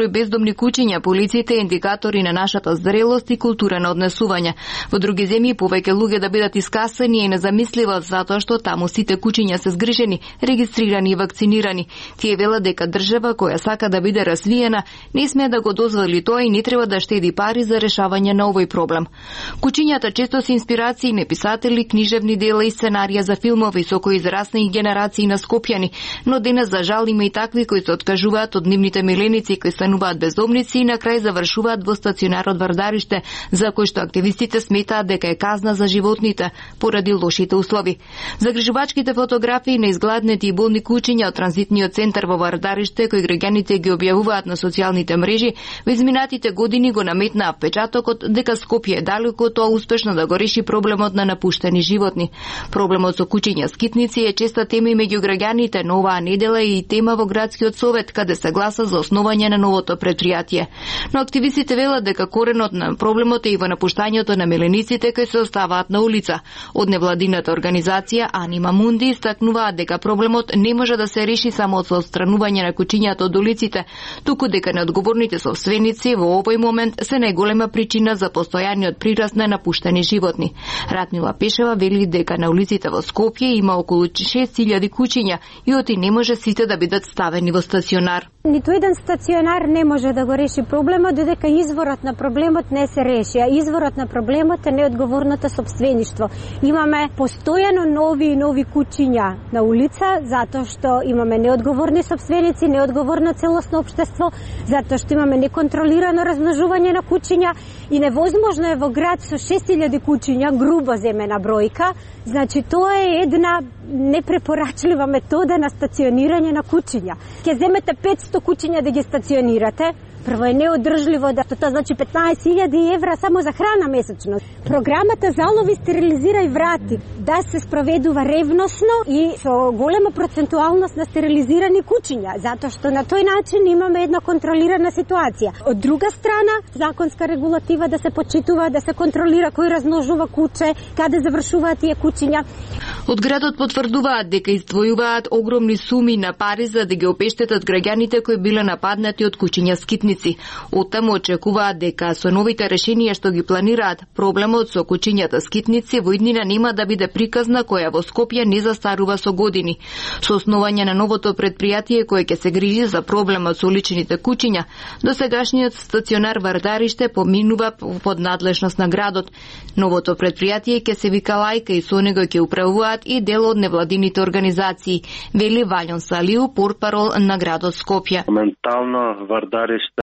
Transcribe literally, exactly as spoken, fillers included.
бездомни куќиња по улиците е индикатори на нашата зрелост и култура на однесување. Во други земји повеќе луѓе да бидат искасани е незамисливо затоа што таму сите куќиња се згрижени, регистрирани и вакцинирани. Тие велат дека држава која сака да биде развиена не смее да го дозволи тоа и не треба да штеди пари за решавање на овој проблем. Куќињата често се инспирации на писатели, книжевни дела и сценарија за филмови со кои израсна и генерации на скопјани, но денес за жал има и такви кои се откажуваат од нивните миленици кои стануваат бездомници и на крај завршуваат во стационарот Вардариште, за кој што активистите сметаат дека е казна за животните поради лошите услови. Загрижувачките фотографии на изгладнети и болни куќиња од транзитниот центар во Вардариште, кои граѓаните ги објавуваат на социјалните мрежи, во изминатите години го наметнаа впечатокот дека Скопје е далеко тоа успешно да го реши проблемот на напуштени животни. Проблемот со куќиња скитници е честа тема и меѓу граѓаните, но оваа недела е и тема во градскиот совет, каде се гласа за основање на новото предпријатие. Но активистите велат дека коренот на проблемот е и во напуштањето на милениците кои се оставаат на улица. Од невладината организација Анима Мунди истакнуваат дека проблемот не може да се реши само со отстранување на куќињата од улиците, туку дека неодговорните собственици во овој момент се најголема причина за постојаниот прираст на напуштени животни. Ратмила Пешева вели дека на улиците во Скопје има околу шест илјади куќиња и оти не може сите да бидат ставени во стационар. Ниту еден стационар не може да го реши проблемот, додека изворот на проблемот не се реши, а изворот на проблемот е неодговорното собствеништво. Имаме постојано нови и нови куќиња на улица, затоа што имаме неодговорни собственици, неодговорно целосно општество, затоа што имаме неконтролирано размножување на куќиња и невозможно е во град со шест илјади куќиња, грубо земена бројка, значи тоа е една непрепорачлива метода на стационирање на куќиња. Ке земете петсто куќиња да ги стационирате, прво е неодржливо да тоа значи петнаесет илјади евра само за храна месечно. Програмата залови, стерилизира и врати да се спроведува ревносно и со голема процентуалност на стерилизирани куќиња, затоа што на тој начин имаме една контролирана ситуација. Од друга страна, законска регулатива да се почитува, да се контролира кој размножува куче, каде завршуваат тие куќиња. Од градот потврдуваат дека издвојуваат огромни суми на пари за да ги обештетат граѓаните кои биле нападнати од куќиња скитници. Оттаму очекуваат дека со новите решенија што ги планираат, проблемот со куќињата скитници во иднина нема да биде приказна која во Скопје не застарува со години. Со основање на новото предпријатие кое ќе се грижи за проблемот со уличните куќиња, досегашниот стационар Вардариште поминува под надлежност на градот. Новото предпријатие ќе се вика Лајка и со него ќе управуваат и дел од невладините организации, вели Валјон Салиу, портпарол на градот Скопје. Моментално Вардариште